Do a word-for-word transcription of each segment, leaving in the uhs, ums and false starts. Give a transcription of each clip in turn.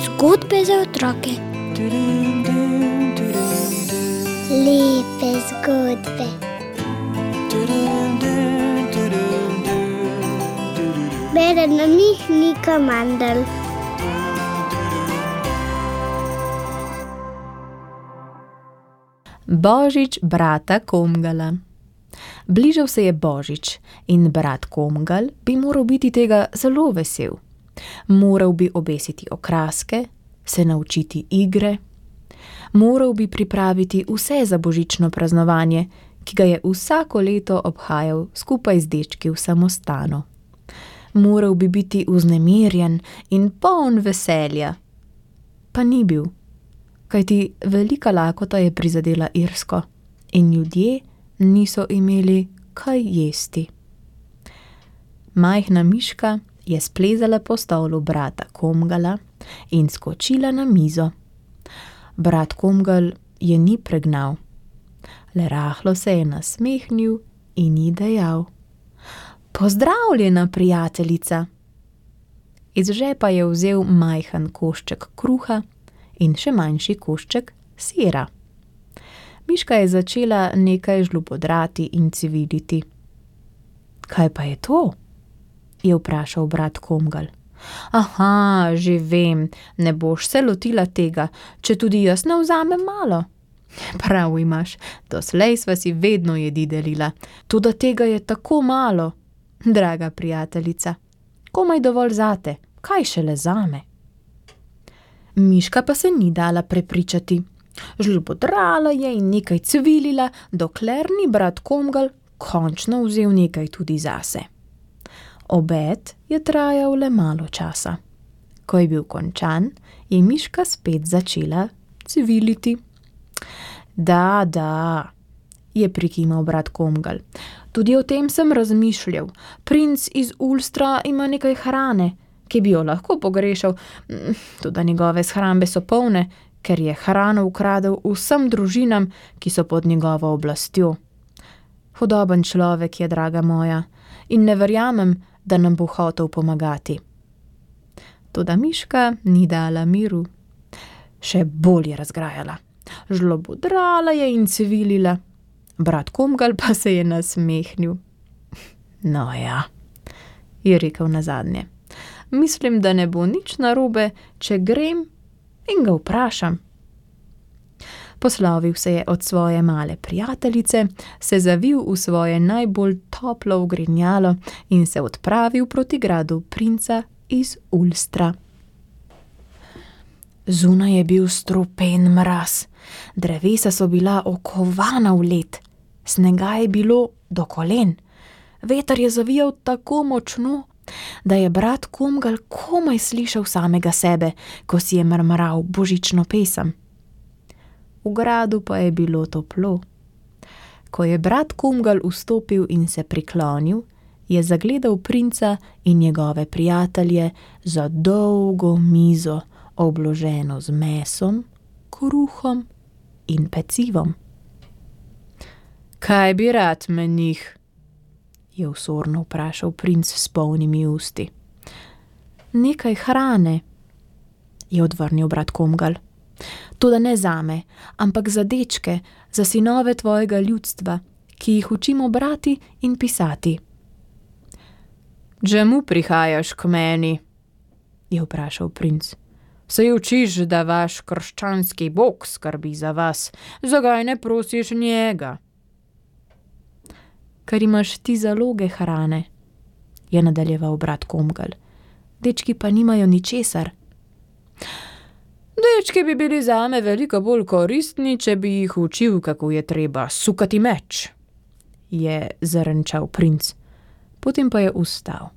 Zgodbe za otroke. Lepe zgodbe. Bere nam jih Nika Mandl. Božič brata Komgala. Bližal se je Božič in brat Komgal bi moral biti tega zelo vesel. Moral bi obesiti okraske, se naučiti igre, moral bi pripraviti vse za božično praznovanje, ki ga je vsako leto obhajal skupaj z dečki v samostanu. Moral bi biti vznemirjen in poln veselja. Pa ni bil, kajti velika lakota je prizadela Irsko in ljudje niso imeli kaj jesti. Majhna miška je splezala po stolu brata Komgala in skočila na mizo. Brat Komgal je ni pregnal, le rahlo se je nasmehnil in ji dejal: "Pozdravljena, prijateljica." Iz žepa je vzel majhen košček kruha in še manjši košček sira. Miška je začela nekaj žlupodrati in civiliti. "Kaj pa je to?" je vprašal brat Komgal. "Aha, že vem, ne boš se lotila tega, če tudi jaz ne vzamem malo." "Prav imaš, doslej sva si vedno jedi delila, toda tega je tako malo, draga prijateljica, komaj dovolj zate, kaj šele zame." Miška pa se ni dala prepričati. Žlobodrala je in nekaj cvilila, dokler ni brat Komgal končno vzel nekaj tudi zase. Obed je trajal le malo časa. Ko je bil končan, je miška spet začela cviliti. "Da, da," je prikimal brat Komgal. "Tudi o tem sem razmišljal. Princ iz Ulstra ima nekaj hrane, ki bi jo lahko pogrešal, toda njegove shrambe so polne, ker je hrano ukradel vsem družinam, ki so pod njegovo oblastjo. Hudoben človek je, draga moja, in ne verjamem, da nam bo hotel pomagati." Toda miška ni dala miru. Še bolj je razgrajala. Žlobodrala je in cvilila. Brat Komgal pa se je nasmehnil. "No ja," je rekel nazadnje. "Mislim, da ne bo nič narobe, če grem in ga vprašam." Poslovil se je od svoje male prijateljice, se zavil v svoje najbolj toplo ogrinjalo in se odpravil proti gradu princa iz Ulstra. Zunaj je bil strupen mraz, drevesa so bila okovana v led, snega je bilo do kolen, veter je zavijal tako močno, da je brat Komgal komaj slišal samega sebe, ko si je mrmral božično pesem. V gradu pa je bilo toplo. Ko je brat Komgal vstopil in se priklonil, je zagledal princa in njegove prijatelje za dolgo mizo, obloženo z mesom, kruhom in pecivom. "Kaj bi rad, menih?" je osorno vprašal princ s polnimi usti. "Nekaj hrane," je odvrnil brat Komgal. "Toda ne zame, ampak za dečke, za sinove tvojega ljudstva, ki jih učimo brati in pisati." "Čemu prihajaš k meni?" je vprašal princ. "Saj učiš, da vaš krščanski bog skrbi za vas, zakaj ne prosiš njega?" "Ker imaš ti zaloge hrane," je nadaljeval brat Komgal. "Dečki pa nimajo ničesar." "Dečki bi bili zame veliko bolj koristni, če bi jih učil, kako je treba sukati meč," je zarenčal princ. Potem pa je vstal.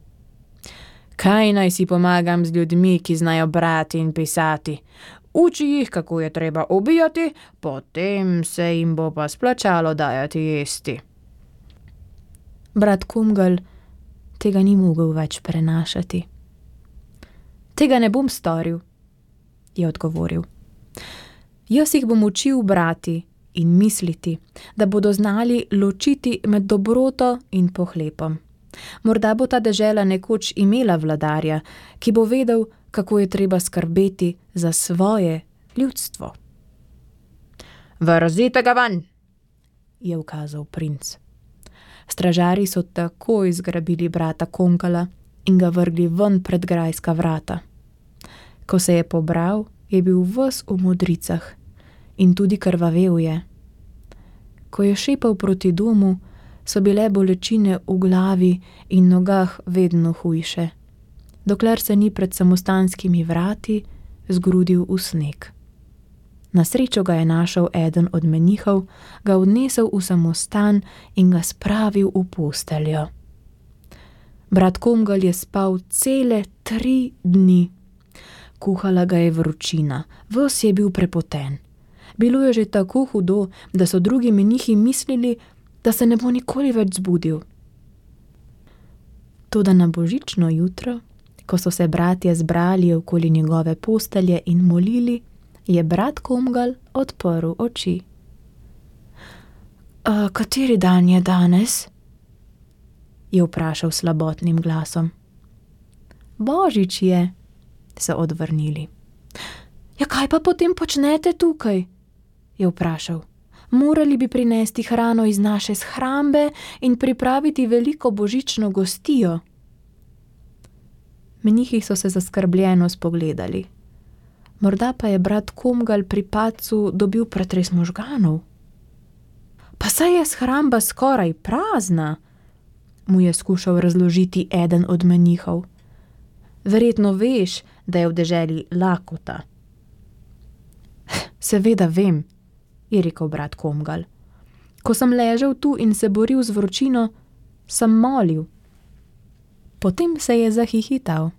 "Kaj naj si pomagam z ljudmi, ki znajo brati in pisati? Uči jih, kako je treba ubijati, potem se jim bo pa splačalo dajati jesti." Brat Komgal tega ni mogel več prenašati. "Tega ne bom storil," je odgovoril. "Jaz jih bom učil brati in misliti, da bodo znali ločiti med dobroto in pohlepom. Morda bo ta dežela nekoč imela vladarja, ki bo vedel, kako je treba skrbeti za svoje ljudstvo. Vrzite ga ven, je ukazal princ. Stražarji so takoj zgrabili brata Komgala in ga vrgli ven pred grajska vrata. Ko se je pobral, je bil ves v modricah in tudi krvavel je. Ko je šepal proti domu, so bile bolečine v glavi in nogah vedno hujše, dokler se ni pred samostanskimi vrati zgrudil v sneg. Na srečo ga je našel eden od menihov, ga odnesel v samostan in ga spravil v posteljo. Brat Komgal je spal cele tri dni. Kuhala ga je vročina, ves je bil prepoten. Bilo je že tako hudo, da so drugi menihi mislili, da se ne bo nikoli več zbudil. Toda na božično jutro, ko so se bratje zbrali okoli njegove postelje in molili, je brat Komgal odprl oči. A, kateri dan je danes? Je vprašal slabotnim glasom. Božič je, so odvrnili. Ja, kaj pa potem počnete tukaj? Je vprašal. Morali bi prinesti hrano iz naše shrambe in pripraviti veliko božično gostijo. Menihi so se zaskrbljeno spogledali. Morda pa je brat Komgal pri padcu dobil pretres možganov. Pa saj je shramba skoraj prazna, mu je skušal razložiti eden od menihov. Verjetno veš, da je v deželi lakota. Seveda vem, je rekel brat Komgal. Ko sem ležal tu in se boril z vročino, sem molil. Potem se je zahihital.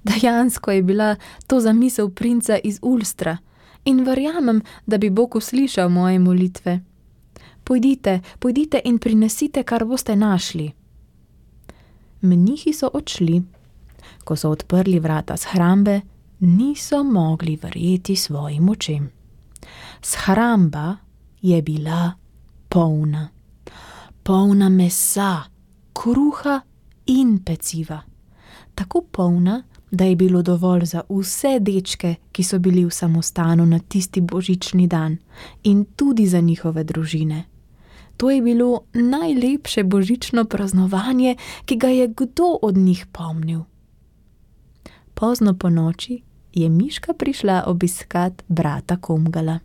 Dejansko je bila to zamisel princa iz Ulstra in verjamem, da bi Bog uslišal moje molitve. Pojdite, pojdite in prinesite, kar boste našli. Menihi so odšli. Ko so odprli vrata shrambe, niso mogli verjeti svojim očem. Shramba je bila polna. Polna mesa, kruha in peciva. Tako polna, da je bilo dovolj za vse dečke, ki so bili v samostanu na tisti božični dan, in tudi za njihove družine. To je bilo najlepše božično praznovanje, ki ga je kdo od njih pomnil. Pozno po noči je Miška prišla obiskat brata Komgala.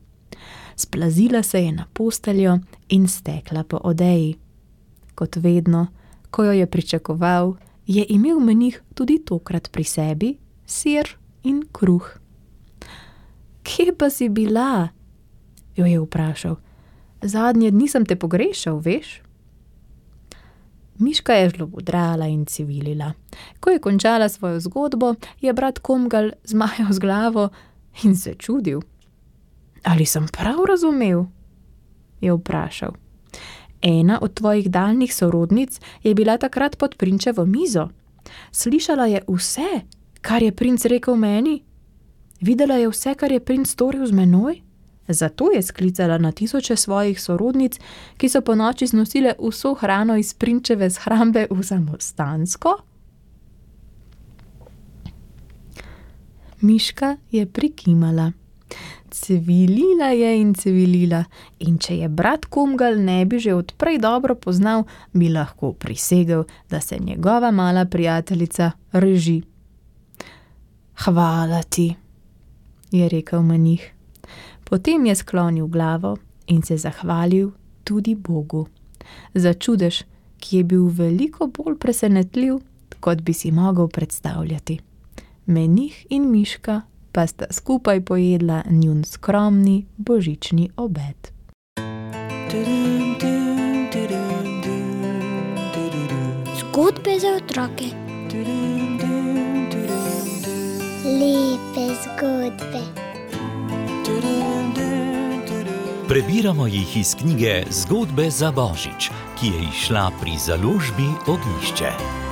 Splazila se je na posteljo in stekla po odeji. Kot vedno, ko jo je pričakoval, je imel menih tudi tokrat pri sebi sir in kruh. Kje pa si bila? Jo je vprašal. Zadnje dni sem te pogrešal, veš? Miška je žlobodrala in civilila. Ko je končala svojo zgodbo, je brat Komgal zmajal z glavo in se čudil. Ali sem prav razumel? Je vprašal. Ena od tvojih daljnih sorodnic je bila takrat pod prinčevo mizo. Slišala je vse, kar je princ rekel meni. Videla je vse, kar je princ storil z menoj. Zato je sklicala na tisoče svojih sorodnic, ki so po noči znosile vso hrano iz prinčeve shrambe v samostansko. Miška je prikimala. Civilila je in civilila, in če je brat Komgal ne bi že odprej dobro poznal, bi lahko prisegel, da se njegova mala prijateljica reži. Hvala ti, je rekel menih. Potem je sklonil glavo in se zahvalil tudi Bogu. Za čudež, ki je bil veliko bolj presenetljiv, kot bi si mogel predstavljati. Menih in Miška pa sta skupaj pojedla njun skromni božični obed. Zgodbe za otroke. Lepe zgodbe. Prebiramo jih iz knjige Zgodbe za Božič, ki je izšla pri založbi Ognjišče.